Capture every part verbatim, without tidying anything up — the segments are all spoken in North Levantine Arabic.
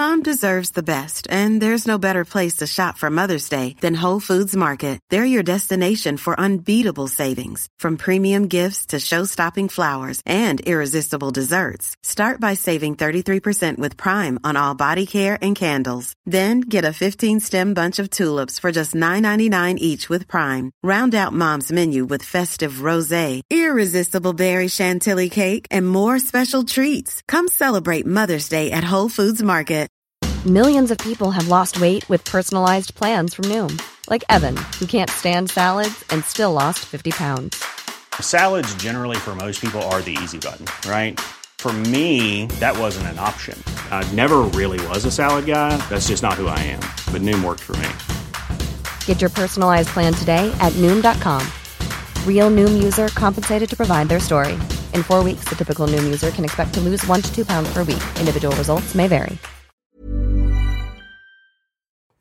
Mom deserves the best, and there's no better place to shop for Mother's Day than Whole Foods Market. They're your destination for unbeatable savings. From premium gifts to show-stopping flowers and irresistible desserts. Start by saving thirty-three percent with Prime on all body care and candles. Then get a fifteen-stem bunch of tulips for just nine ninety-nine each with Prime. Round out Mom's menu with festive rosé, irresistible berry chantilly cake, and more special treats. Come celebrate Mother's Day at Whole Foods Market. Millions of people have lost weight with personalized plans from Noom. Like Evan, who can't stand salads and still lost fifty pounds. Salads generally for most people are the easy button, right? For me, that wasn't an option. I never really was a salad guy. That's just not who I am. But Noom worked for me. Get your personalized plan today at Noom dot com. Real Noom user compensated to provide their story. In four weeks, the typical Noom user can expect to lose one to two pounds per week. Individual results may vary.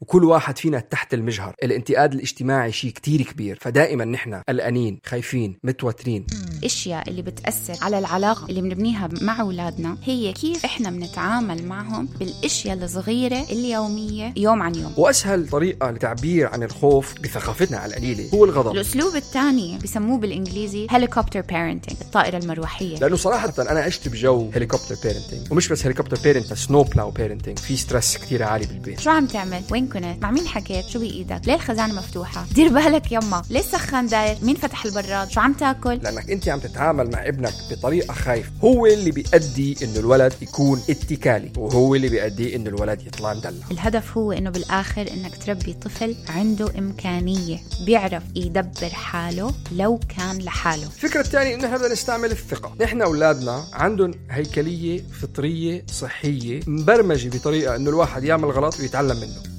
وكل واحد فينا تحت المجهر. الانتقاد الاجتماعي شيء كتير كبير، فدائما نحن قلقانين، خايفين، متوترين. الاشياء اللي بتأثر على العلاقة اللي بنبنيها مع أولادنا هي كيف احنا بنتعامل معهم بالاشياء الصغيرة اليومية يوم عن يوم. واسهل طريقة لتعبير عن الخوف بثقافتنا على القليلة هو الغضب. الاسلوب الثاني بسموه بالانجليزي هيليكوبتر بيرنتينج، الطائرة المروحية. لانه صراحة انا عشت بجو هيليكوبتر بيرنتينج، ومش بس هيليكوبتر بيرنتينج، سنو بلاو بيرنتينج. في ستريس كتير عالي بالبيت. شو عم تعمل؟ وين كنت؟ مع مين حكيت؟ شو بإيدك؟ ليه الخزانة مفتوحة؟ دير بالك يما، ليه السخان داير؟ مين فتح البراد؟ شو عم تاكل؟ لأنك أنت عم تتعامل مع ابنك بطريقة خايفة. هو اللي بيؤدي إنه الولد يكون اتكالي، وهو اللي بيؤدي إنه الولد يطلع مدلع. الهدف هو إنه بالآخر إنك تربي طفل عنده إمكانية، بيعرف يدبر حاله لو كان لحاله. الفكرة الثانية إنه إحنا بدنا نستعمل الثقة. نحن أولادنا عندهم هيكلية فطرية صحية مبرمجة بطريقة إنه الواحد يعمل غلط ويتعلم منه.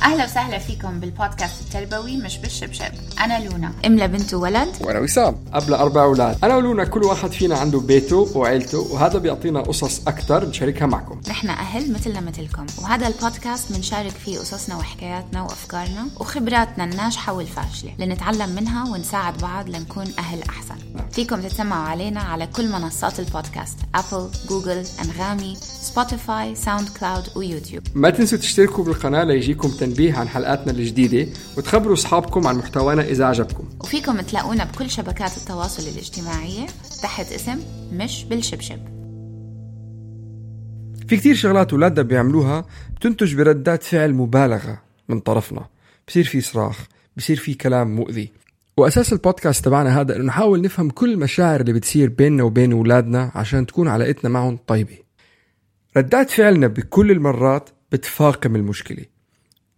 أهلا وسهلا فيكم بالبودكاست التربوي مش بالشبشب. أنا لونا، أم لبنت وولد، وأنا وسام قبل أربع أولاد. أنا ولونا كل واحد فينا عنده بيته وعيلته، وهذا بيعطينا قصص أكتر نشاركها معكم. نحن أهل مثلنا مثلكم، وهذا البودكاست منشارك فيه قصصنا وحكاياتنا وأفكارنا وخبراتنا الناجحة والفاشلة لنتعلم منها ونساعد بعض لنكون أهل أحسن. نعم. فيكم تتسمعوا علينا على كل منصات البودكاست: أبل، جوجل، أنغامي، سبوتيفاي، ساوند كلاود ويوتيوب. ما تنسوا تشتركوا بالقناة ليجيكم تنبيه عن حلقاتنا الجديدة، وتخبروا أصحابكم عن محتوانا إذا عجبكم. وفيكم تلاقونا بكل شبكات التواصل الاجتماعية تحت اسم مش بالشبشب. في كتير شغلات أولادنا بيعملوها بتنتج بردات فعل مبالغة من طرفنا، بصير في صراخ، بصير في كلام مؤذي. وأساس البودكاست تبعنا هذا إنه نحاول نفهم كل المشاعر اللي بتصير بيننا وبين أولادنا عشان تكون علاقتنا معهم طيبة. ردات فعلنا بكل المرات بتفاقم المشكلة،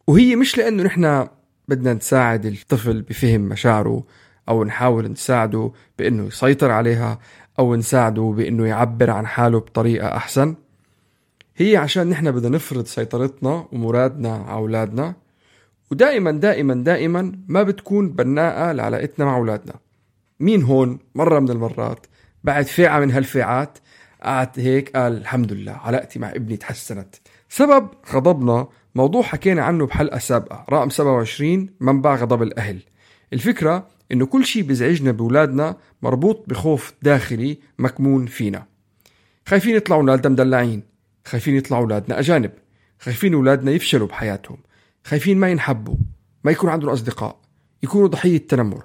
وهي مش لأنه نحن بدنا نساعد الطفل بفهم مشاعره أو نحاول نساعده بأنه يسيطر عليها أو نساعده بأنه يعبر عن حاله بطريقة أحسن. هي عشان نحن بدنا نفرض سيطرتنا ومرادنا على أولادنا، ودائما دائما دائما ما بتكون بناءة لعلاقتنا مع أولادنا. مين هون مرة من المرات بعد فئة من هالفئات قعد هيك قال الحمد لله علاقتي مع ابني تحسنت؟ سبب غضبنا موضوع حكينا عنه بحلقة سابقة رقم سبعة وعشرين، منبع غضب الأهل. الفكرة إنه كل شيء بيزعجنا بولادنا مربوط بخوف داخلي مكمون فينا. خايفين يطلعوا أولادنا مدلعين، خايفين يطلعوا أولادنا أجانب، خايفين أولادنا يفشلوا بحياتهم، خايفين ما ينحبوا، ما يكون عندهم أصدقاء، يكونوا ضحية تنمر،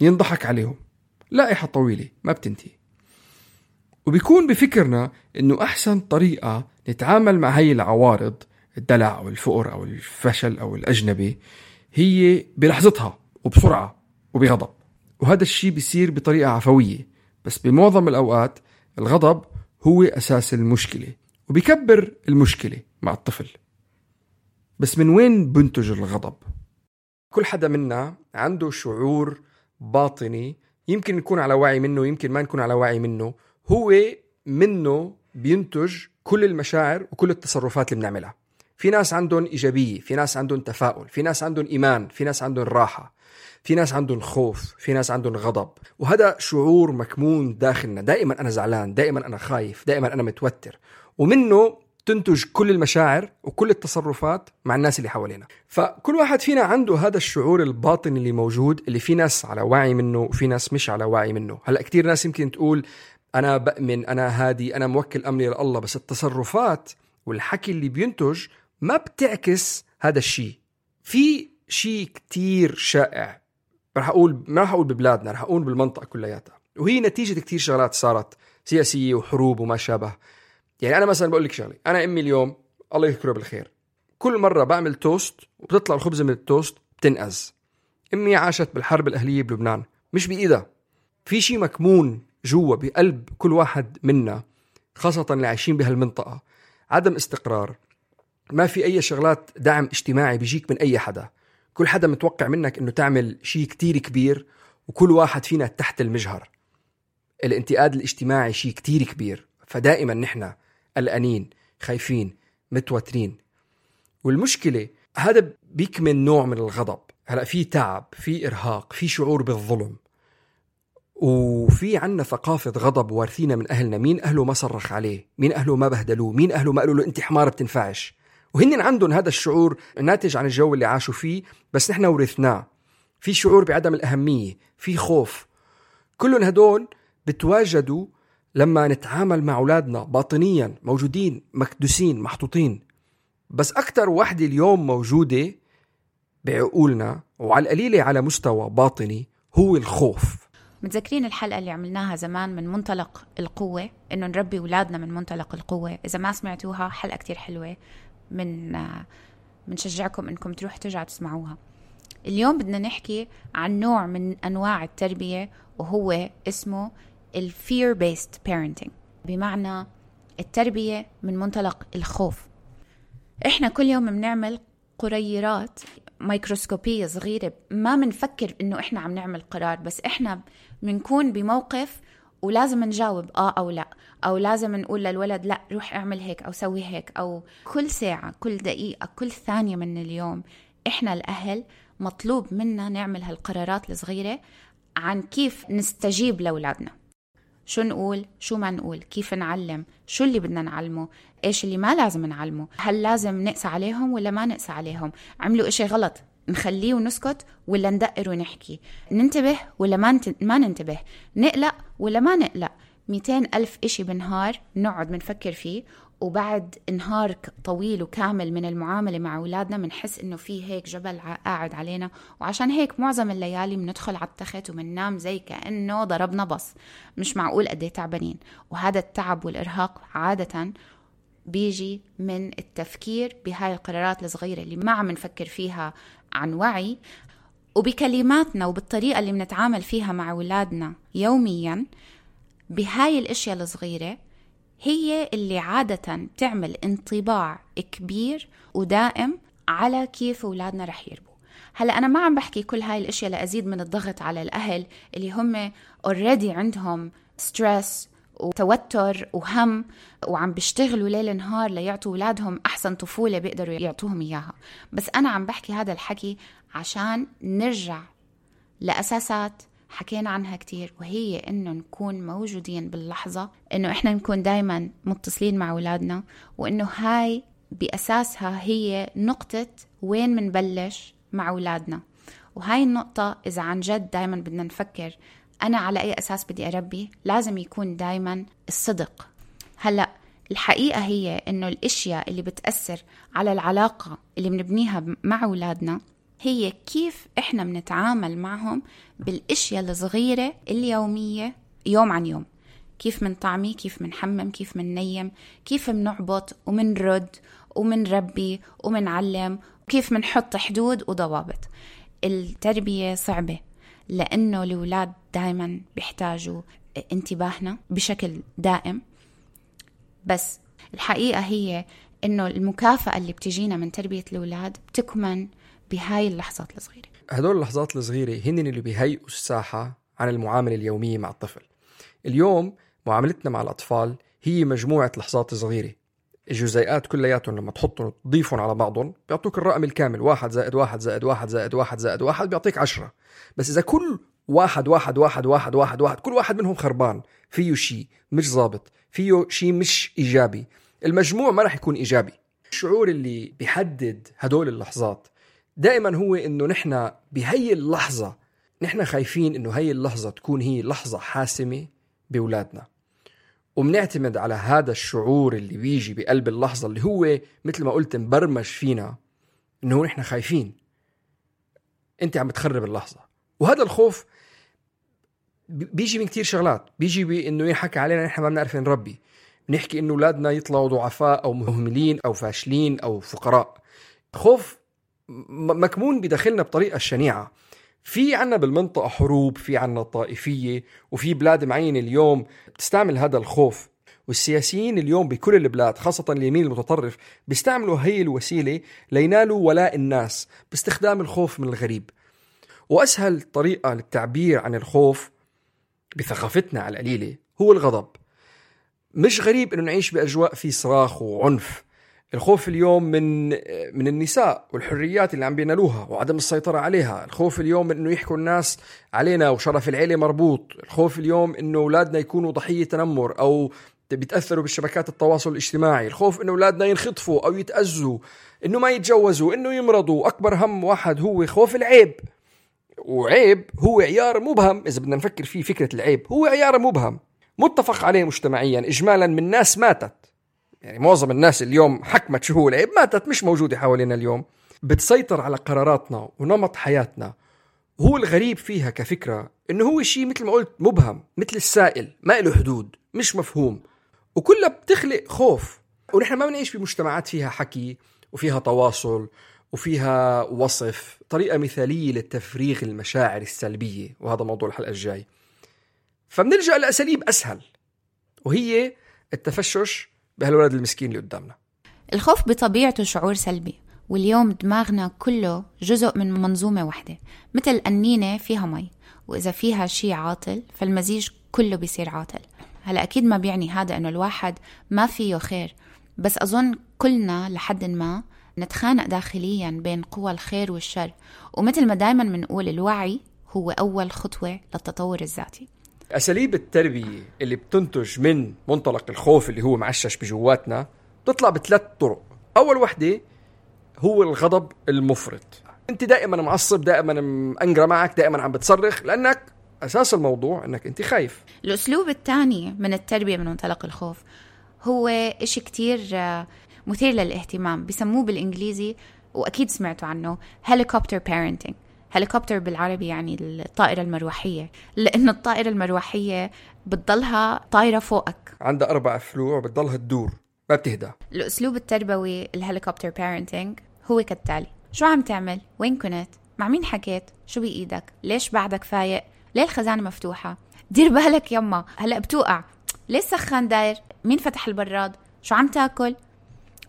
ينضحك عليهم. لائحة طويلة ما بتنتهي. وبيكون بفكرنا إنه أحسن طريقة نتعامل مع هاي العوارض، الدلع أو الفقر أو الفشل أو الأجنبي، هي بلحظتها وبسرعة وبغضب. وهذا الشيء بيصير بطريقة عفوية، بس بمعظم الأوقات الغضب هو أساس المشكلة وبيكبر المشكلة مع الطفل. بس من وين بنتج الغضب؟ كل حدا منا عنده شعور باطني، يمكن نكون على وعي منه، يمكن ما نكون على وعي منه. هو منه بينتج كل المشاعر وكل التصرفات اللي بنعملها. في ناس عندهم إيجابية، في ناس عندهم تفاؤل، في ناس عندهم إيمان، في ناس عندهم راحة، في ناس عندهم خوف، في ناس عندهم غضب. وهذا شعور مكمون داخلنا. دائما أنا زعلان، دائما أنا خايف، دائما أنا متوتر، ومنه تنتج كل المشاعر وكل التصرفات مع الناس اللي حوالينا. فكل واحد فينا عنده هذا الشعور الباطني اللي موجود، اللي في ناس على وعي منه وفي ناس مش على وعي منه. هلأ كتير ناس يمكن تقول أنا بأمن، أنا هادي، أنا موكل أمري لله، بس التصرفات والحكي اللي بينتج ما بتعكس هذا الشيء. في شيء كتير شائع، رح أقول ما رح أقول ببلادنا، رح أقول بالمنطقة كلياتها، وهي نتيجة كتير شغلات صارت سياسية وحروب وما شابه. يعني أنا مثلا بقول لك شغلي، أنا أمي اليوم الله يذكره بالخير كل مرة بعمل توست وبتطلع الخبزة من التوست بتنقز. أمي عاشت بالحرب الأهلية بلبنان، مش بإيدها. في شيء مكمون جوا بقلب كل واحد منا، خاصة اللي عايشين بهالمنطقة، عدم استقرار، ما في أي شغلات دعم اجتماعي بيجيك من أي حدا. كل حدا متوقع منك إنه تعمل شيء كتير كبير، وكل واحد فينا تحت المجهر. الانتقاد الاجتماعي شيء كتير كبير، فدائما نحن قلقانين، خايفين، متوترين. والمشكلة هذا بيكمن نوع من الغضب. هلأ في تعب، في إرهاق، في شعور بالظلم، وفي عنا ثقافة غضب وارثينا من أهلنا. مين أهله ما صرخ عليه؟ مين أهله ما بهدلوه؟ مين أهله ما قالوا له أنت حمار بتنفعش؟ وهن عندهم هذا الشعور ناتج عن الجو اللي عاشوا فيه، بس نحن ورثناه. في شعور بعدم الأهمية، في خوف. كلهم هدول بتواجدوا لما نتعامل مع أولادنا باطنيا، موجودين مكدوسين محطوطين. بس أكتر وحدة اليوم موجودة بعقولنا وعلى القليلة على مستوى باطني هو الخوف. متذكرين الحلقة اللي عملناها زمان من منطلق القوة، إنه نربي أولادنا من منطلق القوة؟ إذا ما سمعتوها حلقة كتير حلوة، من منشجعكم إنكم تروح ترجعوا تسمعوها. اليوم بدنا نحكي عن نوع من أنواع التربية، وهو اسمه ال fear based parenting، بمعنى التربية من منطلق الخوف. إحنا كل يوم بنعمل قريرات ميكروسكوبية صغيرة، ما منفكر إنه إحنا عم نعمل قرار، بس إحنا منكون بموقف ولازم نجاوب آه أو لا، أو لازم نقول للولد لا روح اعمل هيك أو سوي هيك. أو كل ساعة، كل دقيقة، كل ثانية من اليوم إحنا الأهل مطلوب منا نعمل هالقرارات الصغيرة عن كيف نستجيب لأولادنا. شو نقول، شو ما نقول، كيف نعلم، شو اللي بدنا نعلمه، إيش اللي ما لازم نعلمه، هل لازم نقسى عليهم ولا ما نقسى عليهم، عملوا إشي غلط نخليه ونسكت ولا ندقر ونحكي، ننتبه ولا ما, نت... ما ننتبه، نقلق ولا ما نقلق. مئتين ألف إشي بنهار نقعد منفكر فيه، وبعد نهار طويل وكامل من المعاملة مع أولادنا منحس إنه فيه هيك جبل قاعد علينا. وعشان هيك معظم الليالي بندخل على التخت ومننام زي كأنه ضربنا بص، مش معقول قد ايه تعبانين. وهذا التعب والإرهاق عادة بيجي من التفكير بهاي القرارات الصغيرة اللي ما عم نفكر فيها عن وعي، وبكلماتنا وبالطريقة اللي بنتعامل فيها مع أولادنا يوميا. بهاي الأشياء الصغيرة هي اللي عادة تعمل انطباع كبير ودائم على كيف أولادنا رح يربوا. هلأ أنا ما عم بحكي كل هاي الأشياء لأزيد من الضغط على الأهل اللي هم already عندهم stress وتوتر وهم، وعم بيشتغلوا ليل نهار ليعطوا أولادهم أحسن طفولة بيقدروا يعطوهم إياها. بس أنا عم بحكي هذا الحكي عشان نرجع لأساسات حكينا عنها كتير، وهي إنه نكون موجودين باللحظة، إنه إحنا نكون دايما متصلين مع أولادنا، وإنه هاي بأساسها هي نقطة وين منبلش مع أولادنا. وهاي النقطة إذا عن جد دايما بدنا نفكر أنا على أي أساس بدي أربي، لازم يكون دايما الصدق. هلأ الحقيقة هي إنه الأشياء اللي بتأثر على العلاقة اللي بنبنيها مع أولادنا هي كيف إحنا بنتعامل معهم بالأشياء الصغيرة اليومية يوم عن يوم. كيف منطعمي، كيف منحمم، كيف مننيم، كيف منعبط ومنرد ومنربي ومنعلم، وكيف منحط حدود وضوابط. التربية صعبة لأنه الأولاد دائما بيحتاجوا انتباهنا بشكل دائم، بس الحقيقة هي إنه المكافأة اللي بتجينا من تربية الأولاد بتكمن بهاي اللحظات الصغيرة. هدول اللحظات الصغيرة هن اللي بيهيئوا الساحة عن المعاملة اليومية مع الطفل. اليوم معاملتنا مع الأطفال هي مجموعة لحظات صغيرة، الجزيئات كلياتهم لما تحطهم وتضيفهم على بعضهم بيعطوك الرقم الكامل، واحد زائد واحد زائد واحد زائد واحد زائد واحد بيعطيك عشرة. بس إذا كل واحد واحد واحد واحد واحد واحد كل واحد منهم خربان، فيه شيء مش ضابط، فيه شيء مش إيجابي، المجموع ما رح يكون إيجابي. الشعور اللي بيحدد هدول اللحظات دائما هو إنه نحن بهي اللحظة نحن خايفين إنه هي اللحظة تكون هي لحظة حاسمة بأولادنا. وبنعتمد على هذا الشعور اللي بيجي بقلب اللحظة اللي هو مثل ما قلت مبرمج فينا إنه نحن خايفين، أنت عم بتخرب اللحظة. وهذا الخوف بيجي من كتير شغلات، بيجي بإنه ينحكى علينا نحن ما بنعرف نربي، بنحكي إنه أولادنا يطلعوا ضعفاء أو مهملين أو فاشلين أو فقراء. خوف مكمون بداخلنا بطريقة شنيعة. في عنا بالمنطقة حروب، في عنا طائفية، وفي بلاد معينة اليوم بتستعمل هذا الخوف، والسياسيين اليوم بكل البلاد خاصة اليمين المتطرف بيستعملوا هي الوسيلة لينالوا ولاء الناس باستخدام الخوف من الغريب. وأسهل طريقة للتعبير عن الخوف بثقافتنا على القليلة هو الغضب. مش غريب إنه نعيش بأجواء في صراخ وعنف. الخوف اليوم من من النساء والحريات اللي عم بينالوها وعدم السيطرة عليها. الخوف اليوم من إنه يحكوا الناس علينا وشرف العيلة مربوط. الخوف اليوم إنه أولادنا يكونوا ضحية تنمر أو بيتأثروا بالشبكات التواصل الاجتماعي. الخوف إنه أولادنا ينخطفوا أو يتأذوا، إنه ما يتجوزوا، إنه يمرضوا. أكبر هم واحد هو خوف العيب. وعيب هو عيار مبهم، إذا بدنا نفكر فيه فكرة العيب هو عيار مبهم متفق عليه مجتمعيا إجمالا من ناس ماتت. يعني معظم الناس اليوم حكمت شو هو العيب ماتت، مش موجودة حوالينا اليوم، بتسيطر على قراراتنا ونمط حياتنا. هو الغريب فيها كفكرة إنه هو شيء مثل ما قلت مبهم، مثل السائل ما له حدود، مش مفهوم، وكلها بتخلق خوف. ونحن ما بنعيش بمجتمعات فيها حكي وفيها تواصل وفيها وصف، طريقة مثالية للتفريغ المشاعر السلبية، وهذا موضوع الحلقة الجاي. فبنلجأ لأساليب أسهل، وهي التفشش بهالولد المسكين اللي قدامنا. الخوف بطبيعته شعور سلبي، واليوم دماغنا كله جزء من منظومة واحدة، مثل قنينة فيها مي، وإذا فيها شيء عاطل فالمزيج كله بيصير عاطل. هلا أكيد ما بيعني هذا إنه الواحد ما فيه خير، بس أظن كلنا لحد ما نتخانق داخليا بين قوى الخير والشر. ومثل ما دايما منقول الوعي هو أول خطوة للتطور الذاتي. أساليب التربية اللي بتنتج من منطلق الخوف اللي هو معشش بجواتنا بتطلع بثلاث طرق. أول وحدة هو الغضب المفرط. أنت دائما معصب، دائما مأنجرة معك، دائما عم بتصرخ، لأنك أساس الموضوع أنك أنت خايف. الأسلوب الثاني من التربية من منطلق الخوف هو إشي كتير مثير للاهتمام، بيسموه بالإنجليزي وأكيد سمعتوا عنه helicopter parenting. هليكوبتر بالعربي يعني الطائرة المروحية، لأن الطائرة المروحية بتضلها طائرة فوقك، عندها أربع فلوع بتضلها تدور ما بتهدى. الأسلوب التربوي الهليكوبتر بارنتينج هو كالتالي: شو عم تعمل؟ وين كنت؟ مع مين حكيت؟ شو بإيدك؟ ليش بعدك فايق؟ ليه الخزانة مفتوحة؟ دير بالك يما هلأ بتوقع، ليش سخن داير؟ مين فتح البراد؟ شو عم تاكل؟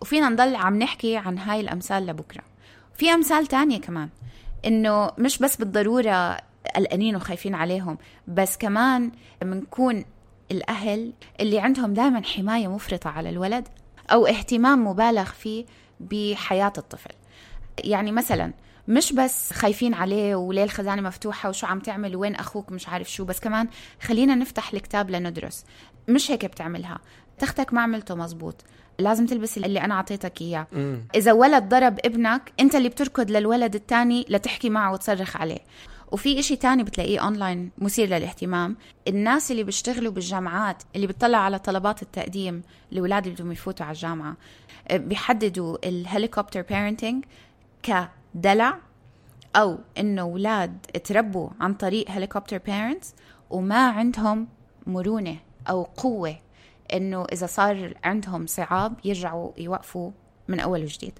وفينا نضل عم نحكي عن هاي الأمثال لبكرة. في أمثال تانية كمان، إنه مش بس بالضرورة قلقانين وخايفين عليهم، بس كمان منكون الأهل اللي عندهم دائما حماية مفرطة على الولد أو اهتمام مبالغ فيه بحياة الطفل. يعني مثلا مش بس خايفين عليه وليه الخزانة مفتوحة وشو عم تعمل وين أخوك مش عارف شو، بس كمان خلينا نفتح الكتاب لندرس. مش هيك بتعملها، تختك ما عملته مزبوط، لازم تلبس اللي أنا عطيتك إياه. مم. إذا ولد ضرب ابنك أنت اللي بتركض للولد التاني لتحكي معه وتصرخ عليه. وفي إشي تاني بتلاقيه أونلاين مثير للاهتمام، الناس اللي بيشتغلوا بالجامعات اللي بتطلع على طلبات التقديم لولاد اللي بدهم يفوتوا على الجامعة بيحددوا الهليكوبتر بارنتينج كدلع، أو إنه ولاد تربوا عن طريق هليكوبتر بارنتس وما عندهم مرونة أو قوة إنه إذا صار عندهم صعاب يرجعوا يوقفوا من أول وجديد.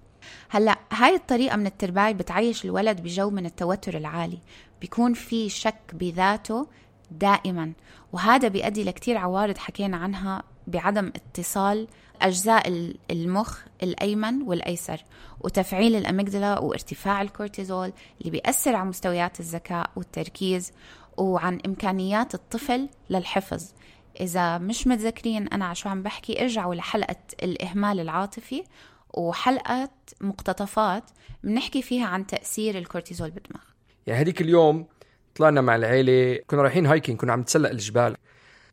هلأ هاي الطريقة من التربية بتعيش الولد بجو من التوتر العالي، بيكون في شك بذاته دائما، وهذا بيؤدي لكتير عوارض حكينا عنها بعدم اتصال أجزاء المخ الأيمن والأيسر، وتفعيل الأميجدلا وارتفاع الكورتيزول اللي بيأثر على مستويات الذكاء والتركيز وعن إمكانيات الطفل للحفظ. إذا مش متذكرين أنا عشو عم بحكي، ارجعوا لحلقة الإهمال العاطفي وحلقة مقتطفات بنحكي فيها عن تأثير الكورتيزول بالدماغ. يعني هديك اليوم طلعنا مع العيلة، كنا رايحين هايكين، كنا عم نتسلق الجبال.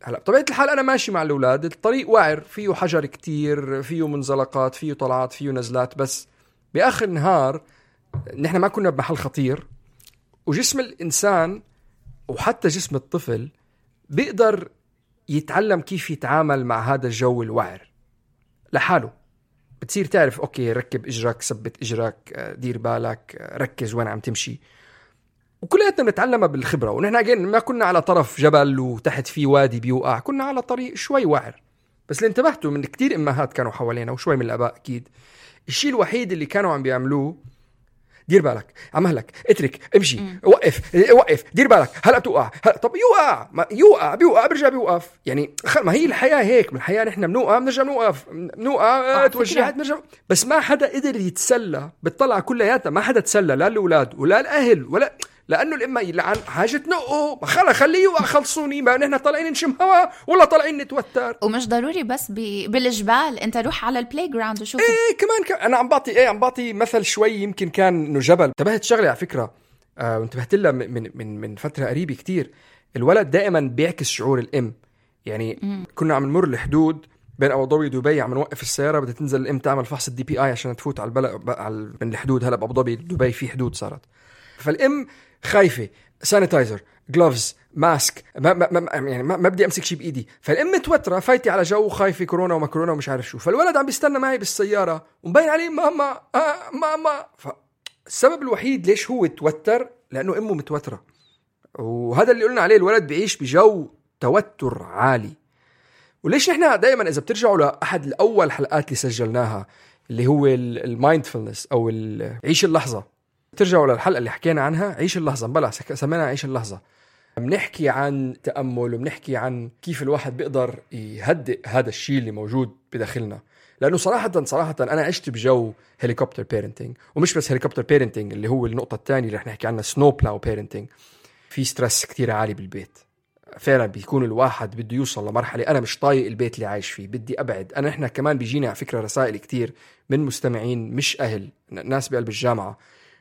هلا بطبيعة الحال أنا ماشي مع الأولاد، الطريق وعر، فيه حجر كتير، فيه منزلقات، فيه طلعات، فيه نزلات، بس بآخر النهار نحن ما كنا بمحل خطير، وجسم الإنسان وحتى جسم الطفل بيقدر يتعلم كيف يتعامل مع هذا الجو الوعر لحاله. بتصير تعرف أوكي ركب إجرك، ثبت إجرك، دير بالك، ركز وين عم تمشي. وكلياتنا بنتعلمها بالخبرة. ونحن أجين ما كنا على طرف جبل وتحت فيه وادي بيوقع، كنا على طريق شوي وعر. بس اللي انتبهتوا من كتير إمهات كانوا حوالينا وشوي من الآباء أكيد، الشيء الوحيد اللي كانوا عم بيعملوه دير بالك، عمهلك، اترك، امشي، مم. وقف وقف، دير بالك، هلا بتوقع، هلا طب يوقع، ما يوقع بيوقع برجع بيوقف. يعني ما هي الحياة هيك، من الحياة نحن بنوقع بنرجع بنوقف، بنوقع توجعت بنرجع. بس ما حدا قدر يتسلى بالطلعة كلياتها، ما حدا تسلى، لا الأولاد ولا الأهل ولا، لأنه الإما يلعن حاجة نقه، خلا خليه يوقع خلصوني، ما نحن طالعين نشم هوا ولا طالعين نتوتر. ومش ضروري بس بالجبال، انت روح على البلاي جراوند وشوف. ايه كمان ك... انا عم بعطي ايه عم بعطي مثل شوي يمكن كان انه جبل. انتبهت شغله على فكره، آه وانتبهت لها من من من فتره قريبه كتير. الولد دائما بيعكس شعور الام. يعني م. كنا عم نمر الحدود بين ابو ظبي ودبي، عم نوقف السياره، بدها تنزل الام تعمل فحص الدي بي اي عشان تفوت على البلد على من الحدود. هلا بابو ظبي دبي في حدود صارت، فالام خايفه، سانيتايزر، جلوفز، ماسك، ما ما ما يعني ما, ما بدي امسك شيء بايدي. فالام متوتره، فايتي على جو خايفه كورونا وما كورونا ومش عارف شو. فالولد عم بيستنى معي بالسياره ومبين عليه ماما آه ماما. فالسبب الوحيد ليش هو توتر لانه امه متوتره. وهذا اللي قلنا عليه، الولد بيعيش بجو توتر عالي. وليش نحن دائما اذا بترجعوا لاحد الاول حلقات اللي سجلناها اللي هو المايندفولنس او عيش اللحظه، ترجعوا للحلقة اللي حكينا عنها عيش اللحظة، بلا سمينا عيش اللحظة. بنحكي عن تأمل وبنحكي عن كيف الواحد بيقدر يهدئ هذا الشيء اللي موجود بداخلنا. لأنه صراحة صراحة أنا عشت بجو هيليكوبتر بيرنتينج، ومش بس هيليكوبتر بيرنتينج اللي هو النقطة الثانية اللي رح نحكي عنها سنو بلاو بيرنتينج. في ستريس كتير عالي بالبيت فعلا، بيكون الواحد بده يوصل لمرحلة أنا مش طايق البيت اللي عايش فيه، بدي أبعد. أنا إحنا كمان بيجينا على فكرة رسائل كتير من مستمعين مش أهل، ناس بقلب الجامعة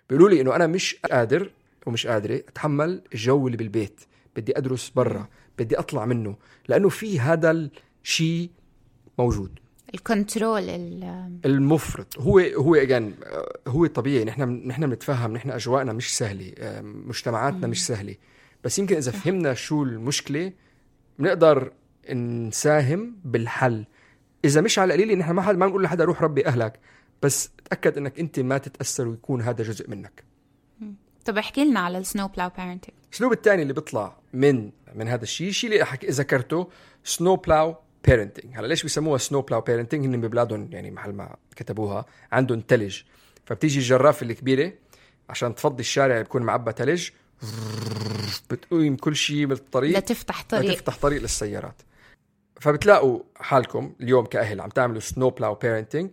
بيقولوا لي إنه أنا مش قادر ومش قادرة أتحمل الجو اللي بالبيت، بدي أدرس برا، بدي أطلع منه، لأنه في هذا الشيء موجود. الكنترول المفرط هو هو أجان هو طبيعي. نحن نحن بنتفهم، نحن أجواءنا مش سهلة، مجتمعاتنا مش سهلة، بس يمكن إذا فهمنا شو المشكلة بنقدر نساهم بالحل. إذا مش على قليل نحن ما حد ما نقول لحدا روح ربي أهلك، بس تأكد إنك أنت ما تتأثر ويكون هذا جزء منك. طب احكي لنا على السنو بلاو بيرنتينج. الأسلوب الثاني اللي بيطلع من من هذا الشيء، الشيء اللي أحكي ذكرته سنو بلاو بيرنتينج. هلا ليش بيسموها سنو بلاو بيرنتينج؟ هن ببلادهم يعني محل ما كتبوها عندهم تلج، فبتيجي الجرافة الكبيرة عشان تفضي الشارع بيكون معبى تلج، بتقوم كل شيء بالطريق لا تفتح طريق تفتح طريق للسيارات. فبتلاقوا حالكم اليوم كأهل عم تعملوا سنو بلاو بيرنتينج،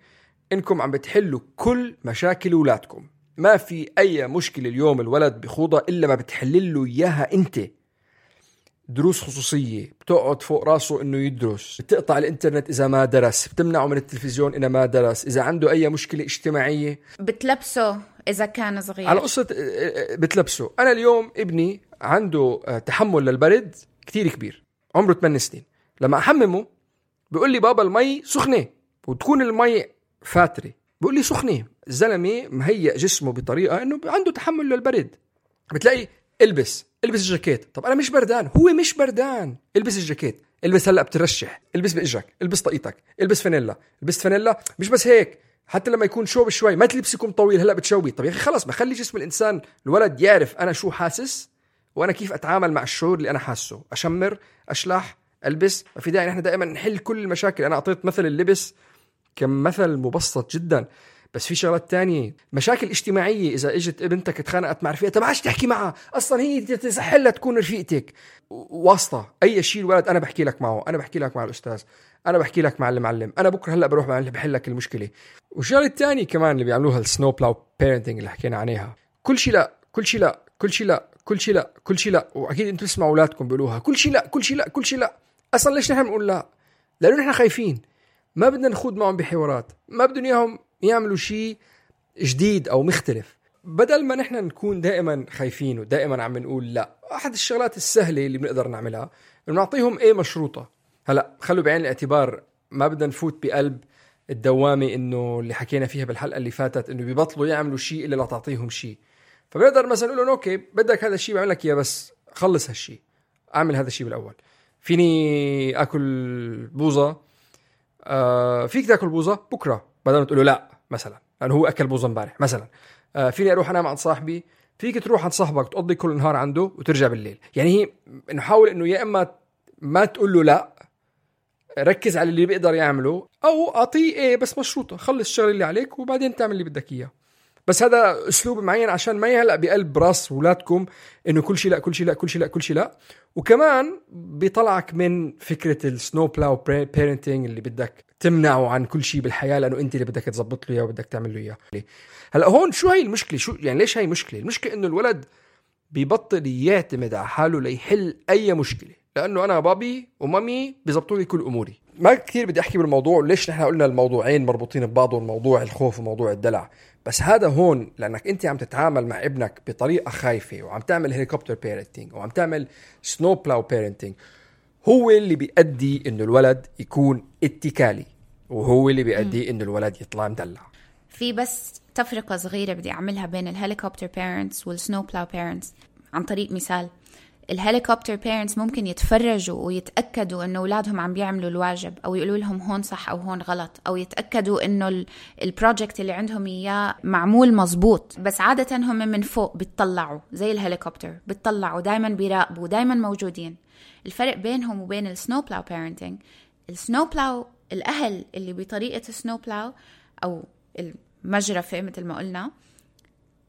إنكم عم بتحلوا كل مشاكل أولادكم. ما في أي مشكلة اليوم الولد بخوضها إلا ما بتحلله إياها أنت. دروس خصوصية، بتقعد فوق راسه إنه يدرس، بتقطع الإنترنت إذا ما درس، بتمنعه من التلفزيون إذا ما درس، إذا عنده أي مشكلة اجتماعية بتلبسه إذا كان صغير. على قصة بتلبسه. أنا اليوم ابني عنده تحمل للبرد كتير كبير، عمره ثمانية سنين. لما أحممه بيقول لي بابا المي سخنة، وتكون المي فاترة، بيقول لي سخنة. الزلمة مهيئ جسمه بطريقة إنه عنده تحمل للبرد. بتلاقي البس البس الجاكيت. طب أنا مش بردان، هو مش بردان، البس الجاكيت، البس هلأ بترشح، البس بإجرك، البس طاقيتك، البس فانيلا، البس فانيلا. مش بس هيك، حتى لما يكون شوب شوي ما تلبسكم طويل هلأ بتشوبي. طب يا أخي خلص، ما خلي جسم الإنسان الولد يعرف أنا شو حاسس وأنا كيف أتعامل مع الشعور اللي أنا حاسه. أشمر، أشلح، ألبس. ما في داعي نحن دائما نحل كل المشاكل. أنا أعطيت مثل اللبس كمثل مبسط جدا، بس في شغلات تانية. مشاكل اجتماعية، إذا إجت ابنتك اتخانقت مع رفيقتها ما عادش تحكي معها، أصلا هي تسحلها تكون رفيقتك. واسطة أي شيء الولد أنا بحكي لك معه، أنا بحكي لك مع الأستاذ، أنا بحكي لك مع المعلم، أنا بكرة هلأ بروح بحل لك المشكلة. والشغلة التانية كمان اللي بيعملوها السنو بلاو بيرنتينج اللي حكينا عنها، كل شيء لا، كل شيء لا، كل شيء لا، كل شيء لا، كل شيء لا. وأكيد أنتوا تسمعوا أولادكم بيقولوها كل شيء لا، كل شيء لا، كل شيء لا. أصلا ليش نحن بنقول لا؟ لأنه نحن خايفين، ما بدنا نخوض معهم بحوارات، ما بدنا إياهم يعملوا شيء جديد أو مختلف. بدل ما نحن نكون دائما خايفين ودائما عم نقول لا، أحد الشغلات السهلة اللي بنقدر نعملها إنه نعطيهم إيه مشروطة. هلأ خلوا بعين الاعتبار، ما بدنا نفوت بقلب الدوامة إنه اللي حكينا فيها بالحلقة اللي فاتت إنه بيبطلوا يعملوا شيء إلا لا تعطيهم شيء. فبنقدر مثلا نقول لهم أوكي بدك هذا الشيء بعمل لك إياه، بس خلص هالشيء، أعمل هذا الشيء بالأول. فيني اكل بوظه، آه فيك تاكل بوظه بكره بدل ما تقول له لا مثلا لانه هو اكل بوظه امبارح مثلا. آه فيني اروح انام عند صاحبي، فيك تروح عند صاحبك تقضي كل النهار عنده وترجع بالليل. يعني هي نحاول انه يا اما ما تقول له لا، ركز على اللي بيقدر يعمله، او اعطيه ايه بس مشروطه، خلص الشغل اللي عليك وبعدين تعمل اللي بدك اياه. بس هذا اسلوب معين عشان ما يهلق بقلب راس اولادكم انه كل شيء لا كل شيء لا كل شيء لا كل شيء لا. وكمان بيطلعك من فكره السنو بلاو بيرنتينج اللي بدك تمنعه عن كل شيء بالحياه لانه انت اللي بدك تزبط له اياه وبدك تعمل له اياه. هلا هون شو هي المشكله؟ شو يعني ليش هي مشكله؟ المشكله انه الولد بيبطل يعتمد على حاله ليحل اي مشكله، لانه انا بابي ومامي بيزبطوا لي كل اموري. ما كثير بدي احكي بالموضوع، ليش نحن قلنا الموضوعين مربوطين ببعضهم، موضوع الخوف وموضوع الدلع. بس هذا هون لانك انت عم تتعامل مع ابنك بطريقه خايفه وعم تعمل هيليكوبتر بيرنتينج وعم تعمل سنو بلاو بيرنتينج، هو اللي بيؤدي انه الولد يكون اتكالي، وهو اللي بيؤدي انه الولد يطلع مدلع. في بس تفرقة صغيرة بدي أعملها بين الهليكوبتر بيرنتس والسنو بلاو بيرنتس. عن طريق مثال، الهليكوبتر بيرنتس ممكن يتفرجوا ويتأكدوا إنه أولادهم عم بيعملوا الواجب، أو يقولوا لهم هون صح أو هون غلط، أو يتأكدوا إنه البروجكت اللي عندهم إياه معمول مزبوط. بس عادة هم من فوق بيطلعوا زي الهليكوبتر، بيطلعوا دايما بيراقبوا دايما موجودين. الفرق بينهم وبين السنو بلاو بيرنتينج، السنو بلاو الأهل اللي بطريقة السنو بلاو أو المجرفة مثل ما قلنا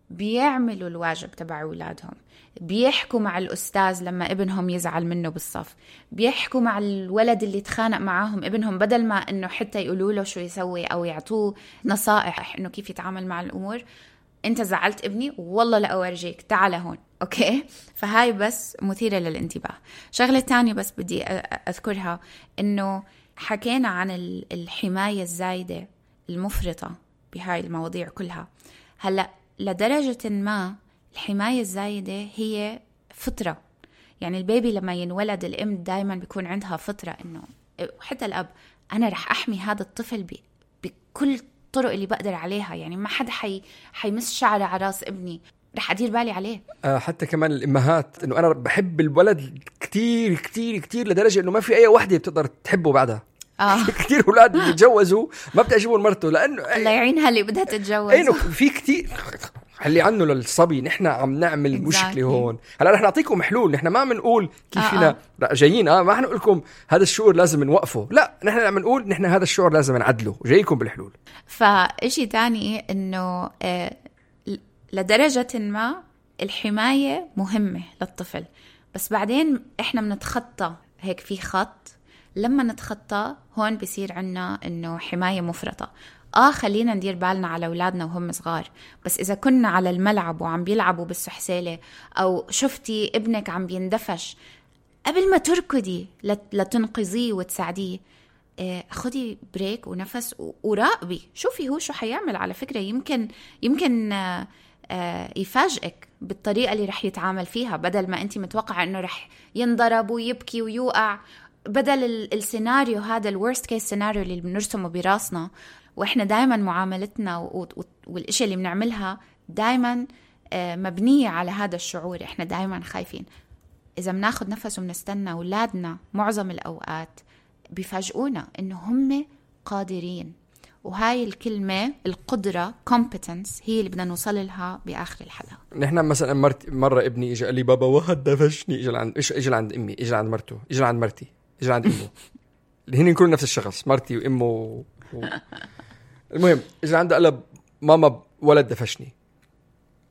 بيعملوا الواجب تبع أولادهم، بيحكوا مع الأستاذ لما ابنهم يزعل منه بالصف، بيحكوا مع الولد اللي تخانق معاهم ابنهم بدل ما إنه حتى يقولوا له شو يسوي أو يعطوه نصائح إنه كيف يتعامل مع الأمور. أنت زعلت ابني والله لا أورجيك، تعال هون. أوكي، فهاي بس مثيرة للانتباه. شغلة تانية بس بدي أذكرها، إنه حكينا عن الحماية الزايدة المفرطة بهاي المواضيع كلها. هلأ لدرجة ما الحماية الزايدة هي فطرة، يعني البيبي لما ينولد الأم دايما بيكون عندها فطرة إنه حتى الأب أنا رح أحمي هذا الطفل ب... بكل الطرق اللي بقدر عليها. يعني ما حدا حي... حيمس شعره على راس ابني، رح أدير بالي عليه. آه حتى كمان الإمهات إنه أنا بحب الولد كتير كتير كتير لدرجة إنه ما في أي وحدة بتقدر تحبه بعدها. آه. كتير أولاد بيتجوزوا ما بتعجبهم مرته لأنه الله يعينها اللي بدها تتجوز. أينه في كتير خلي عنه للصبي. نحن عم نعمل exactly. مشكلة هون. هلا رح نعطيكم حلول. نحن ما بنقول كيف فينا آه آه. جايين اه ما رح نقول لكم هذا الشعور لازم نوقفه، لا نحن عم نقول نحن هذا الشعور لازم نعدله وجايكم بالحلول. فإشي تاني إنه آه لدرجة ما الحماية مهمة للطفل، بس بعدين إحنا بنتخطى هيك في خط. لما نتخطى هون بيصير عنا إنه حماية مفرطة. آه خلينا ندير بالنا على أولادنا وهم صغار، بس إذا كنا على الملعب وعم بيلعبوا بالسحسالة أو شفتي ابنك عم بيندفش، قبل ما تركضي لتنقذيه وتساعديه، آه خدي بريك ونفس وراقبي، شوفي هو شو حيعمل. على فكرة يمكن يمكن آه آه يفاجئك بالطريقة اللي رح يتعامل فيها، بدل ما أنت متوقعة إنه رح ينضرب ويبكي ويوقع. بدل السيناريو هذا الورست كيس سيناريو اللي بنرسمه براسنا، وإحنا دايما معاملتنا والإشي اللي بنعملها دايما مبنية على هذا الشعور. إحنا دايما خايفين. إذا بناخد نفس وبنستنى، أولادنا معظم الأوقات بيفاجئونا إنه هم قادرين. وهاي الكلمة القدرة competence هي اللي بدنا نوصل لها بآخر الحلقة. نحن مثلا مرت مرة ابني إجا قال لي بابا واحد دفشني. إجا عند إيش إجا عند أمي، إجا عند مرته، إجا عند مرتي، إجا عند أمه. اللي هن يكونوا نفس الشخص، مرتي وأمه و... و... المهم إجا عنده قال ماما ولد دفشني.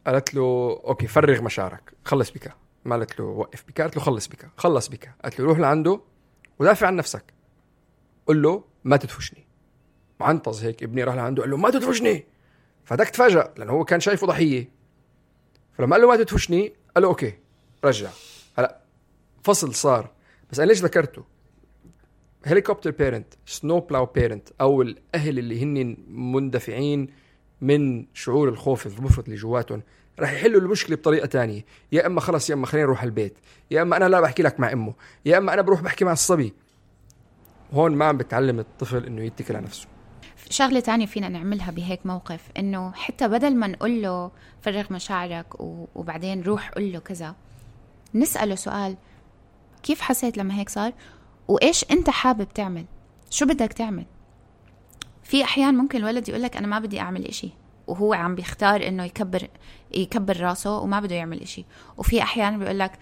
قالت له أوكي فرغ مشاعرك، خلص بك. ما قالت له وقف بك، قالت له خلص بك، خلص بك. قالت له روح لعنده ودافع عن نفسك، قل له ما تدفشني. معنطز هيك ابني راح لعنده قال له ما تدفشني، فدك تفاجأ لأنه هو كان شايفه ضحية. فلما قال له ما تدفشني قال له أوكي رجع. هلأ فصل صار. بس أنا ليش ذكرته؟ هليكوبتر بيرنت، سنو بلاو بيرنت، أو الأهل اللي هن مندفعين من شعور الخوف المفرط اللي جواتهم، راح يحلوا المشكلة بطريقة تانية. يا أما خلص يا أما خلينا نروح البيت، يا أما أنا لا بحكي لك مع أمه، يا أما أنا بروح بحكي مع الصبي. هون ما عم بتعلم الطفل إنه يتكل على نفسه. شغلة تانية فينا نعملها بهيك موقف، إنه حتى بدل ما نقول له فرغ مشاعرك وبعدين روح قل له كذا، نسأله سؤال: كيف حسيت لما هيك صار؟ وإيش أنت حابب تعمل، شو بدك تعمل. في أحيان ممكن الولد يقولك أنا ما بدي أعمل إشي، وهو عم بيختار إنه يكبر يكبر راسه وما بده يعمل إشي. وفي أحيان بيقولك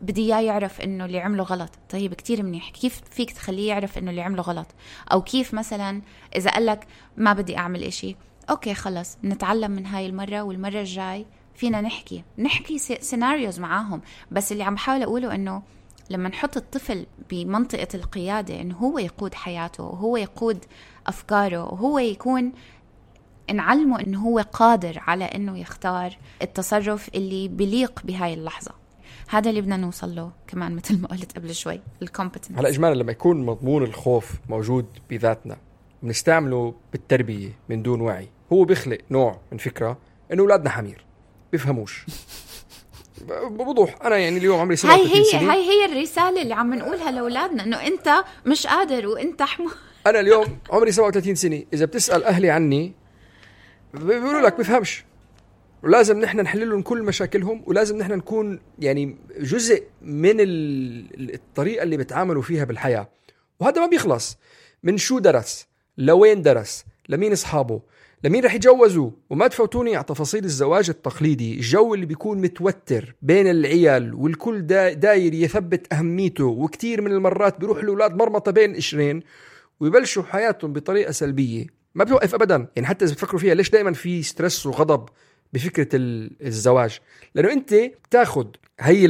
بدي إياه يعرف إنه اللي عمله غلط. طيب كتير منيح، كيف فيك تخليه يعرف إنه اللي عمله غلط؟ أو كيف مثلا إذا قالك ما بدي أعمل إشي، أوكي خلص نتعلم من هاي المرة، والمرة الجاي فينا نحكي نحكي سيناريوز معاهم. بس اللي عم بحاول أقوله إنه لما نحط الطفل بمنطقة القيادة، إنه هو يقود حياته وهو يقود أفكاره وهو يكون نعلمه إنه هو قادر على إنه يختار التصرف اللي بليق بهاي اللحظة. هذا اللي بدنا نوصل له كمان مثل ما قلت قبل شوي، الكومبتنس. هلا إجمالا لما يكون مضمون الخوف موجود بذاتنا بنستعمله بالتربية من دون وعي، هو بيخلق نوع من فكرة إنه أولادنا حمير بيفهموش. بوضوح أنا يعني اليوم عمري سبعة وثلاثين سنة. هاي هي الرسالة اللي عم نقولها لأولادنا، إنه أنت مش قادر وأنت حمار. أنا اليوم عمري سبعة وثلاثين سنة، إذا بتسأل أهلي عني بيقولوا لك بيفهمش، ولازم نحن نحل لهم كل مشاكلهم، ولازم نحن نكون يعني جزء من الطريقة اللي بتعاملوا فيها بالحياة. وهذا ما بيخلص من شو درس، لوين درس، لمين أصحابه، لمين رح يتجوزوا. وما تفوتوني على تفاصيل الزواج التقليدي، الجو اللي بيكون متوتر بين العيال والكل دا داير يثبت أهميته، وكتير من المرات بيروح الأولاد مرمطة بين قشرين ويبلشوا حياتهم بطريقة سلبية ما بيوقف أبدا. يعني حتى إذا بتفكروا فيها، ليش دايما في ستريس وغضب بفكرة الزواج؟ لأنه أنت تاخد هاي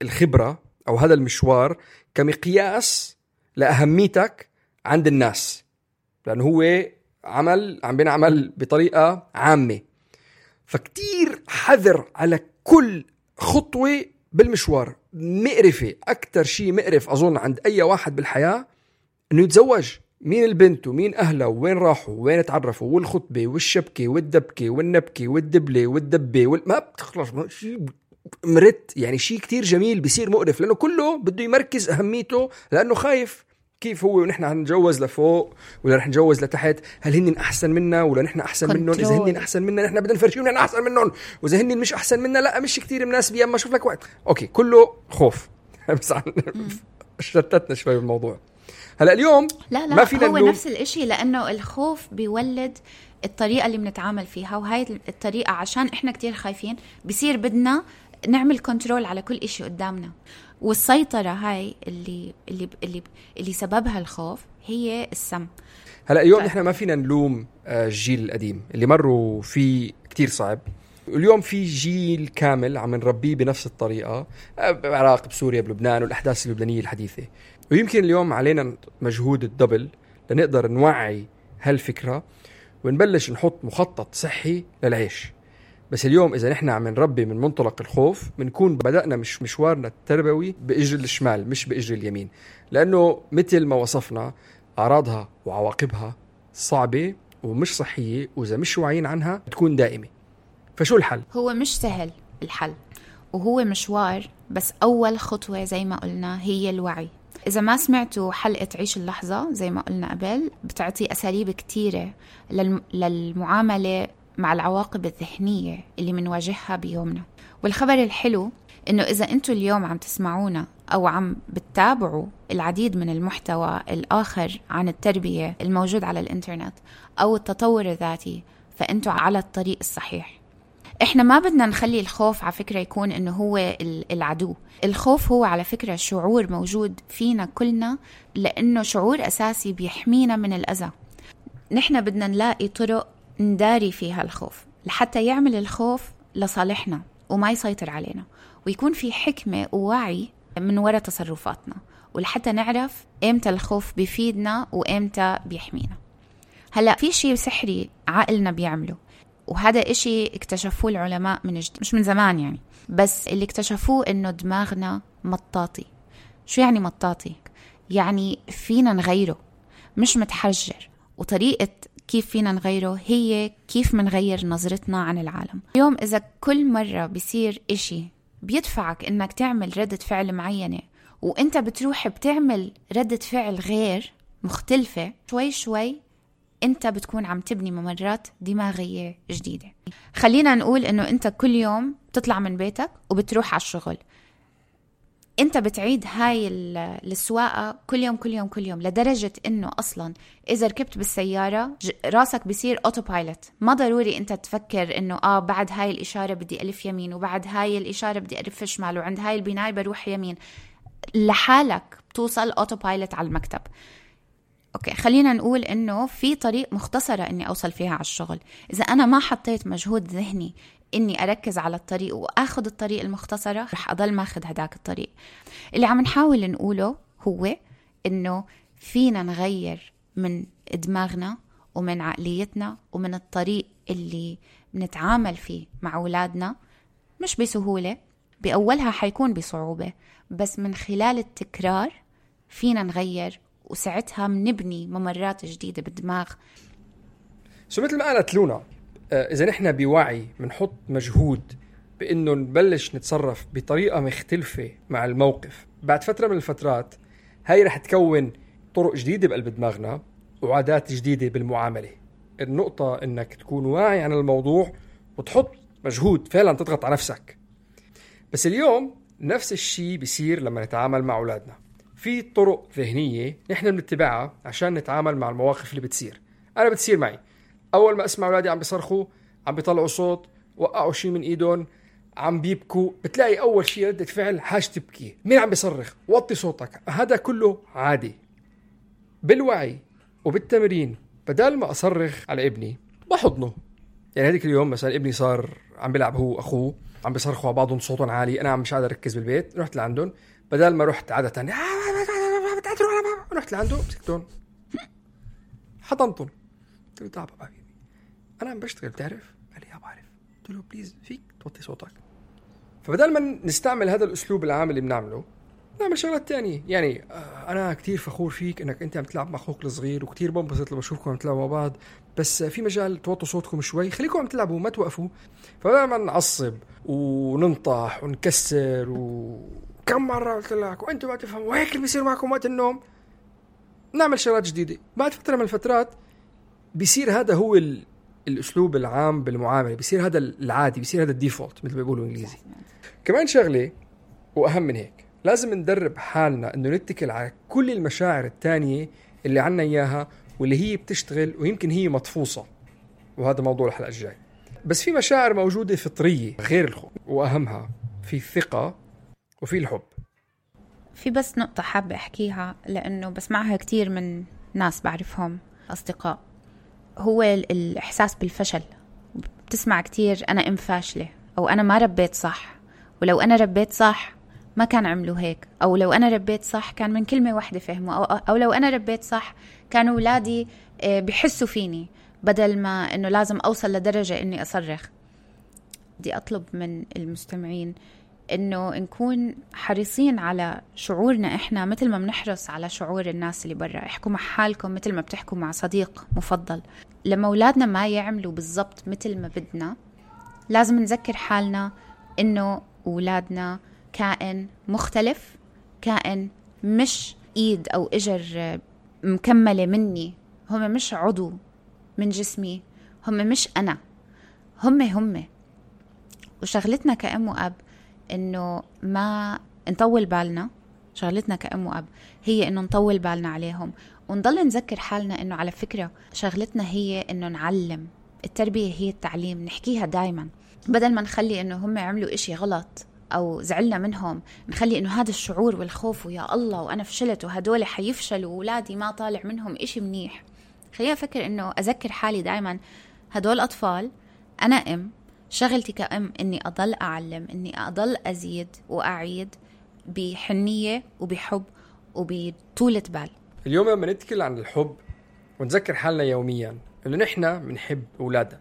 الخبرة أو هذا المشوار كمقياس لأهميتك عند الناس، لأنه هو عمل عم بينعمل بطريقة عامة. فكتير حذر على كل خطوة بالمشوار. مقرفة، أكتر شيء مقرف أظن عند أي واحد بالحياة إنه يتزوج. مين البنت ومين أهلها وين راحوا وين تعرفوا، والخطبة والشبكة والدبكة والنبكة والدبلة والدبة وال... ما بتخلص شيء مرت. يعني شيء كتير جميل بيصير مقرف، لأنه كله بده يمركز أهميته، لأنه خايف كيف هو ونحن هنجوز لفوق ولا رح نجوز لتحت، هل هن أحسن منا ولا نحن أحسن منهم؟ إذا هن أحسن منا نحن بدنا نفرجيهم نحن أحسن منهم، وإذا هن مش أحسن منا لا مش كتير مناسبة. أما شوف لك وقت أوكي كله خوف. بس شتتنا شوي بالموضوع. هلا اليوم لا لا ما فينا هو نلوم. نفس الاشي، لأنه الخوف بيولد الطريقة اللي بنتعامل فيها، وهاي الطريقة عشان إحنا كتير خايفين بيصير بدنا نعمل كنترول على كل إشي قدامنا. والسيطرة هاي اللي اللي اللي اللي سببها الخوف هي السم. هلا اليوم نحن ما فينا نلوم الجيل القديم اللي مروا فيه كتير صعب. اليوم في جيل كامل عم نربيه بنفس الطريقة بعراق بسوريا بلبنان والأحداث اللبنانية الحديثة. ويمكن اليوم علينا مجهود الدبل لنقدر نوعي هالفكرة ونبلش نحط مخطط صحي للعيش. بس اليوم إذا نحن عم نربي من منطلق الخوف بنكون بدأنا مش مشوارنا التربوي بإجر الشمال مش بإجر اليمين، لأنه مثل ما وصفنا أعراضها وعواقبها صعبة ومش صحية، وإذا مش واعيين عنها تكون دائمة. فشو الحل؟ هو مش سهل الحل، وهو مشوار، بس أول خطوة زي ما قلنا هي الوعي. إذا ما سمعتوا حلقة عيش اللحظة زي ما قلنا قبل، بتعطي أساليب كتيرة للمعاملة مع العواقب الذهنية اللي منواجهها بيومنا. والخبر الحلو إنه إذا أنتوا اليوم عم تسمعونا أو عم بتتابعوا العديد من المحتوى الآخر عن التربية الموجود على الإنترنت أو التطور الذاتي، فأنتوا على الطريق الصحيح. إحنا ما بدنا نخلي الخوف على فكرة يكون إنه هو العدو. الخوف هو على فكرة شعور موجود فينا كلنا، لأنه شعور أساسي بيحمينا من الأذى. نحن بدنا نلاقي طرق نداري فيها الخوف لحتى يعمل الخوف لصالحنا وما يسيطر علينا، ويكون في حكمة ووعي من وراء تصرفاتنا، ولحتى نعرف إمتى الخوف بيفيدنا وإمتى بيحمينا. هلأ في شيء سحري عقلنا بيعمله، وهذا إشي اكتشفوه العلماء من جد مش من زمان يعني، بس اللي اكتشفوه إنه دماغنا مطاطي. شو يعني مطاطي؟ يعني فينا نغيره مش متحجر، وطريقة كيف فينا نغيره هي كيف منغير نظرتنا عن العالم. اليوم إذا كل مرة بيصير إشي بيدفعك إنك تعمل ردة فعل معينة، وإنت بتروح بتعمل ردة فعل غير مختلفة، شوي شوي أنت بتكون عم تبني ممرات دماغية جديدة. خلينا نقول إنه أنت كل يوم بتطلع من بيتك وبتروح على الشغل، انت بتعيد هاي السواقة كل يوم كل يوم كل يوم، لدرجة انه اصلا اذا ركبت بالسيارة راسك بيصير اوتو بايلوت. ما ضروري انت تفكر انه اه بعد هاي الاشارة بدي الف يمين، وبعد هاي الاشارة بدي الف شمال، وعند هاي البناية بروح يمين. لحالك بتوصل اوتو بايلوت على المكتب. اوكي، خلينا نقول انه في طريق مختصرة اني اوصل فيها على الشغل. اذا انا ما حطيت مجهود ذهني اني اركز على الطريق واخذ الطريق المختصرة، رح اضل ماخذ هداك الطريق. اللي عم نحاول نقوله هو انه فينا نغير من دماغنا ومن عقليتنا ومن الطريق اللي بنتعامل فيه مع أولادنا. مش بسهولة، بأولها حيكون بصعوبة، بس من خلال التكرار فينا نغير، وساعتها بنبني ممرات جديدة بالدماغ. سو مثل ما قالت لونا، إذا نحن بوعي منحط مجهود بأنه نبلش نتصرف بطريقة مختلفة مع الموقف، بعد فترة من الفترات هاي رح تكون طرق جديدة بقلب دماغنا وعادات جديدة بالمعاملة. النقطة إنك تكون واعي عن الموضوع وتحط مجهود فعلا تضغط على نفسك. بس اليوم نفس الشيء بيصير لما نتعامل مع أولادنا. في طرق ذهنية نحن بنتبعها عشان نتعامل مع المواقف اللي بتصير. أنا بتصير معي أول ما أسمع أولادي عم بيصرخوا، عم بيطلعوا صوت، وقعوا شيء من إيدهم، عم بيبكوا، بتلاقي أول شيء ردة فعل حاج تبكي. مين عم بيصرخ؟ وطي صوتك. هذا كله عادي. بالوعي وبالتمرين بدل ما أصرخ على ابني بحضنه. يعني هذيك اليوم مثلا ابني صار عم بيلعب هو أخوه، عم بيصرخوا على بعضهم صوتهم عالي، أنا مش قادر أركز بالبيت، رحت لعندهم. بدل ما رحت عادة تانية رحت لعنده مسكتهم حضنتهم، قلت له تعال بابا أنا عم بشتغل بتعرف؟ قال لي يا بعرف. قلت له بليز فيك توطي صوتك. فبدل ما نستعمل هذا الأسلوب العام اللي بنعمله، نعمل شغلات تانية. يعني أنا كتير فخور فيك إنك أنت عم تلعب مع أخوك الصغير، وكتير بنبسط لما أشوفكم عم تلعبوا مع بعض، بس في مجال توطوا صوتكم شوي، خليكم عم تلعبوا ما توقفوا. فبدل ما نعصب وننطح ونكسر وكم مرة قلت لك وأنتوا ما تفهموا وهيك اللي بيصير معكم وقت النوم، نعمل شغلات جديدة. بعد فترة من الفترات بيصير هذا هو ال... الأسلوب العام بالمعاملة، بيصير هذا العادي، بيصير هذا الديفولت مثل ما بيقولوا إنجليزي. كمان شغلة وأهم من هيك، لازم ندرب حالنا إنه نتكل على كل المشاعر التانية اللي عنا إياها واللي هي بتشتغل ويمكن هي مطفوصة، وهذا موضوع الحلقة الجاي. بس في مشاعر موجودة فطرية غير الخوف، وأهمها في الثقة وفي الحب. في بس نقطة حابة أحكيها لأنه بسمعها كتير من ناس بعرفهم أصدقاء، هو الإحساس بالفشل. بتسمع كتير أنا أم فاشلة، أو أنا ما ربيت صح، ولو أنا ربيت صح ما كان عملوا هيك، أو لو أنا ربيت صح كان من كلمة واحدة فهموا، أو, أو لو أنا ربيت صح كانوا أولادي بيحسوا فيني بدل ما أنه لازم أوصل لدرجة أني أصرخ. بدي أطلب من المستمعين أنه نكون حريصين على شعورنا إحنا مثل ما بنحرص على شعور الناس اللي برا. احكوا مع حالكم مثل ما بتحكوا مع صديق مفضل. لما أولادنا ما يعملوا بالضبط مثل ما بدنا، لازم نذكر حالنا أنه أولادنا كائن مختلف، كائن مش إيد أو إجر مكملة مني، هم مش عضو من جسمي، هم مش أنا، هم هم وشغلتنا كأم وأب إنه ما نطول بالنا. شغلتنا كأم وأب هي إنه نطول بالنا عليهم، ونضل نذكر حالنا إنه على فكرة شغلتنا هي إنه نعلم. التربية هي التعليم، نحكيها دايما، بدل ما نخلي إنه هم عملوا إشي غلط أو زعلنا منهم، نخلي إنه هذا الشعور والخوف ويا الله وأنا فشلت وهدول حيفشلوا وولادي ما طالع منهم إشي منيح. خلينا أفكر إنه أذكر حالي دايما هدول أطفال، أنا أم، شغلتي كأم إني أضل أعلم، إني أضل أزيد وأعيد بحنية وبحب وبطولة بال. اليوم لما نتكلم عن الحب ونذكر حالنا يوميا إنه نحن بنحب أولادنا،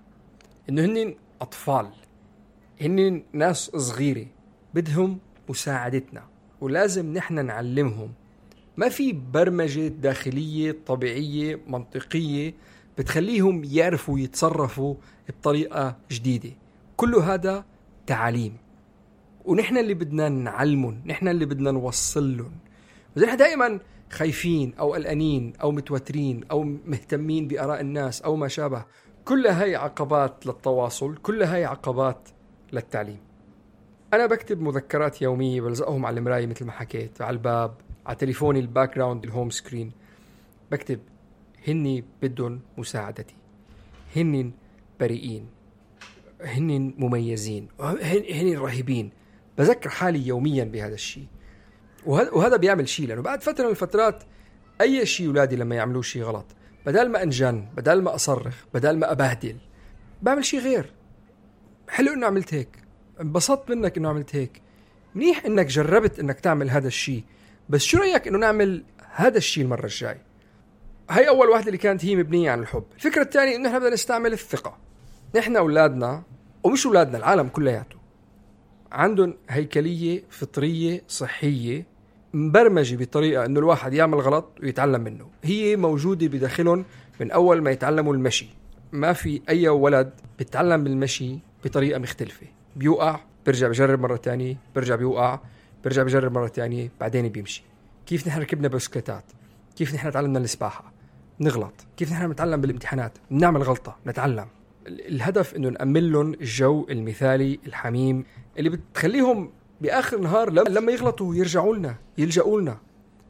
إنه هن أطفال، هن ناس صغيرة بدهم مساعدتنا، ولازم نحن نعلمهم. ما في برمجة داخلية طبيعية منطقية بتخليهم يعرفوا يتصرفوا بطريقة جديدة. كل هذا تعاليم، ونحن اللي بدنا نعلمهم، نحن اللي بدنا نوصل لهم. ونحن دائما خايفين أو قلقانين أو متوترين أو مهتمين بآراء الناس أو ما شابه. كل هاي عقبات للتواصل، كل هاي عقبات للتعليم. أنا بكتب مذكرات يومية بلزقهم على المراية مثل ما حكيت، على الباب، على تليفوني الباك جراوند الهوم سكرين. بكتب هني بدون مساعدتي، هني بريئين، هني مميزين، هني رهيبين. بذكر حالي يوميا بهذا الشيء، وهذا بيعمل شيء، لأنه بعد فترة من الفترات أي شيء أولادي لما يعملوا شيء غلط، بدل ما أنجن، بدل ما أصرخ، بدل ما أبهدل، بعمل شيء غير. حلو إنه عملت هيك، انبسطت منك إنه عملت هيك، منيح إنك جربت إنك تعمل هذا الشيء، بس شو رأيك إنه نعمل هذا الشيء المرة الجاي؟ هاي أول واحدة اللي كانت هي مبنية عن الحب. الفكرة الثانية إنه إحنا بدنا نستعمل الثقة. نحن أولادنا، ومش أولادنا، العالم كلياته عندهم هيكلية فطرية صحية مبرمجة بطريقة إنه الواحد يعمل غلط ويتعلم منه. هي موجودة بداخلهم من أول ما يتعلموا المشي. ما في أي ولد بيتعلم بالمشي بطريقة مختلفة، بيوقع برجع بجرب مرة تانية، برجع بيوقع برجع بجرب مرة تانية، بعدين بيمشي. كيف نحن ركبنا بسكليتات، كيف نحن تعلمنا السباحة، نغلط، كيف نحن نتعلم بالامتحانات، نعمل غلطة، نتعلم. الهدف إنه نأمن لهم الجو المثالي الحميم اللي بتخليهم بآخر النهار لما يغلطوا يرجعوا لنا، يلجأوا لنا.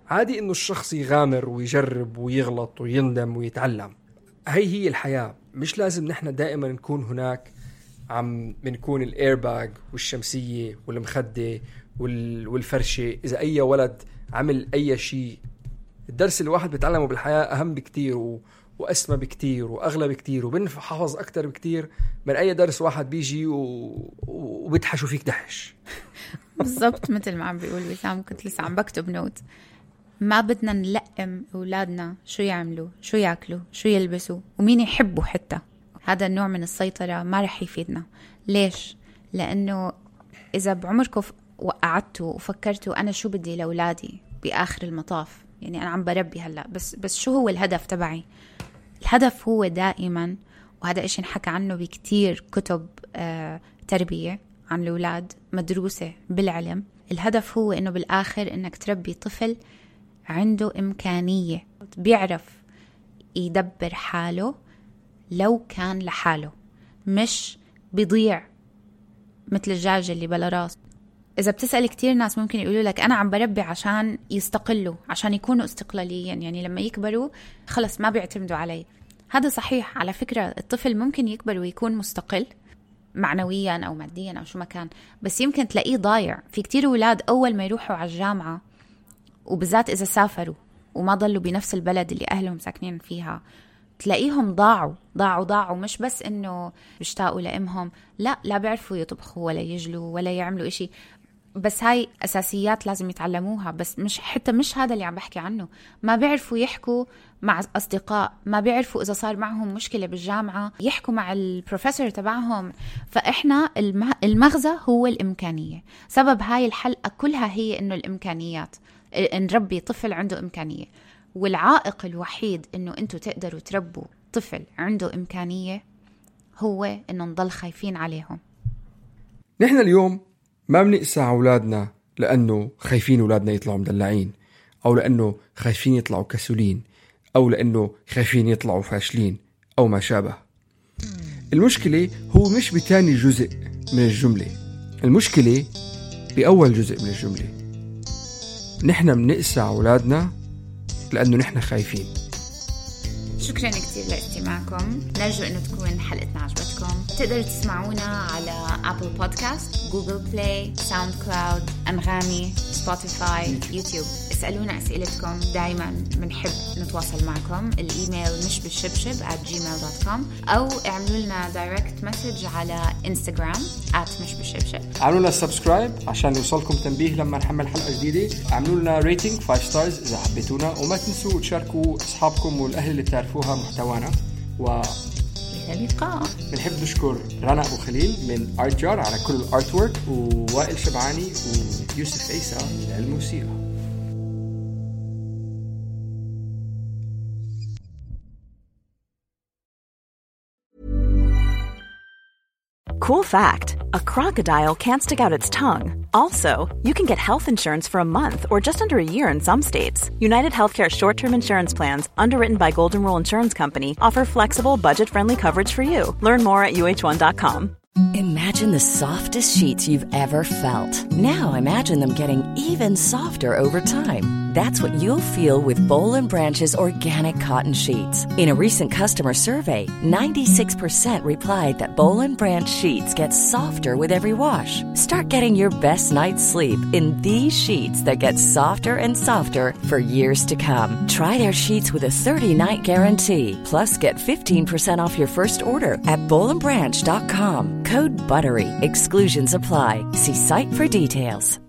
عادي إنه الشخص يغامر ويجرب ويغلط ويندم ويتعلم. هي هي الحياة. مش لازم نحن دائما نكون هناك عم بنكون الإيرباج والشمسية والمخدة والفرشة. إذا أي ولد عمل أي شيء، الدرس اللي واحد بيتعلمه بالحياة أهم بكتير و... وأسمى بكتير وأغلى بكتير وبنحفظ أكتر بكتير من أي درس واحد بيجي و... وبتحشوا فيك دحش. بالضبط مثل ما عم بيقول وسام، كنت لسه عم بكتب نوت. ما بدنا نلقم أولادنا شو يعملوا، شو يأكلوا، شو يلبسوا، ومين يحبوا. حتى هذا النوع من السيطرة ما رح يفيدنا. ليش؟ لأنه إذا بعمركم وقعدتوا وفكرتوا أنا شو بدي لأولادي بآخر المطاف، يعني أنا عم بربي هلأ، بس بس شو هو الهدف تبعي؟ الهدف هو دائما، وهذا إشي نحكى عنه بكتير كتب آه تربية عن الأولاد مدروسة بالعلم. الهدف هو إنه بالآخر إنك تربي طفل عنده إمكانية، بيعرف يدبر حاله لو كان لحاله، مش بيضيع مثل الدجاجة اللي بلا راس. إذا بتسأل كتير ناس ممكن يقولوا لك أنا عم بربي عشان يستقلوا، عشان يكونوا استقلاليين، يعني لما يكبروا خلص ما بيعتمدوا علي. هذا صحيح على فكرة. الطفل ممكن يكبر ويكون مستقل معنويا أو ماديا أو شو ما كان، بس يمكن تلاقيه ضايع. في كتير أولاد أول ما يروحوا على الجامعة، وبالذات إذا سافروا وما ضلوا بنفس البلد اللي أهلهم ساكنين فيها، تلاقيهم ضاعوا ضاعوا ضاعوا مش بس إنه بيشتاقوا لأمهم، لا لا بيعرفوا يطبخوا ولا يجلوا ولا يعملوا إشي. بس هاي أساسيات لازم يتعلموها، بس مش حتى مش هذا اللي عم بحكي عنه. ما بيعرفوا يحكوا مع أصدقاء، ما بيعرفوا إذا صار معهم مشكلة بالجامعة يحكوا مع البروفيسور تبعهم. فإحنا المغزى هو الإمكانية. سبب هاي الحلقة كلها هي إنه الإمكانيات، نربي طفل عنده إمكانية. والعائق الوحيد إنه أنتوا تقدروا تربوا طفل عنده إمكانية هو إنه نضل خايفين عليهم. نحن اليوم ما بنقسى على أولادنا لأنه خايفين أولادنا يطلعوا مدلعين، أو لأنه خايفين يطلعوا كسولين، أو لأنه خايفين يطلعوا فاشلين أو ما شابه. المشكلة هو مش بتاني جزء من الجملة، المشكلة بأول جزء من الجملة. نحن بنقسى على أولادنا لأنه نحن خايفين. شكرا كتير لاستماعكم. نرجو أنه تكون حلقتنا عجبتكم. تقدروا تسمعونا على أبل بودكاست، جوجل بلاي، ساوند كلاود، أنغامي، سبوتيفاي، يوتيوب. اسألونا أسئلتكم، دايما بنحب نتواصل معكم. الإيميل مش بالشبشب at gmail dot com، أو اعملوا لنا دايركت مسج على إنستغرام at مش بالشبشب. اعملوا لنا سبسكرايب عشان يوصلكم تنبيه لما نحمل حلقة جديدة. اعملوا لنا ريتنج خمسة ستارز إذا حبيتونا، وما تنسوا تشاركوا أصحابكم والأهل اللي تعرفوها محتوانا. و اللقاء. بنحب نشكر رنا أبو خليل من آرت جار على كل الارت وورك، ووائل شبعاني ويوسف عيسى للموسيقى. Cool fact, a crocodile can't stick out its tongue. Also, you can get health insurance for a month or just under a year in some states. United Healthcare short-term insurance plans, underwritten by Golden Rule Insurance Company, offer flexible, budget-friendly coverage for you. Learn more at U H one dot com. Imagine the softest sheets you've ever felt. Now imagine them getting even softer over time. That's what you'll feel with Boll and Branch's organic cotton sheets. In a recent customer survey, ninety-six percent replied that Boll and Branch sheets get softer with every wash. Start getting your best night's sleep in these sheets that get softer and softer for years to come. Try their sheets with a thirty-night guarantee. Plus, get fifteen percent off your first order at boll and branch dot com. Code BUTTERY. Exclusions apply. See site for details.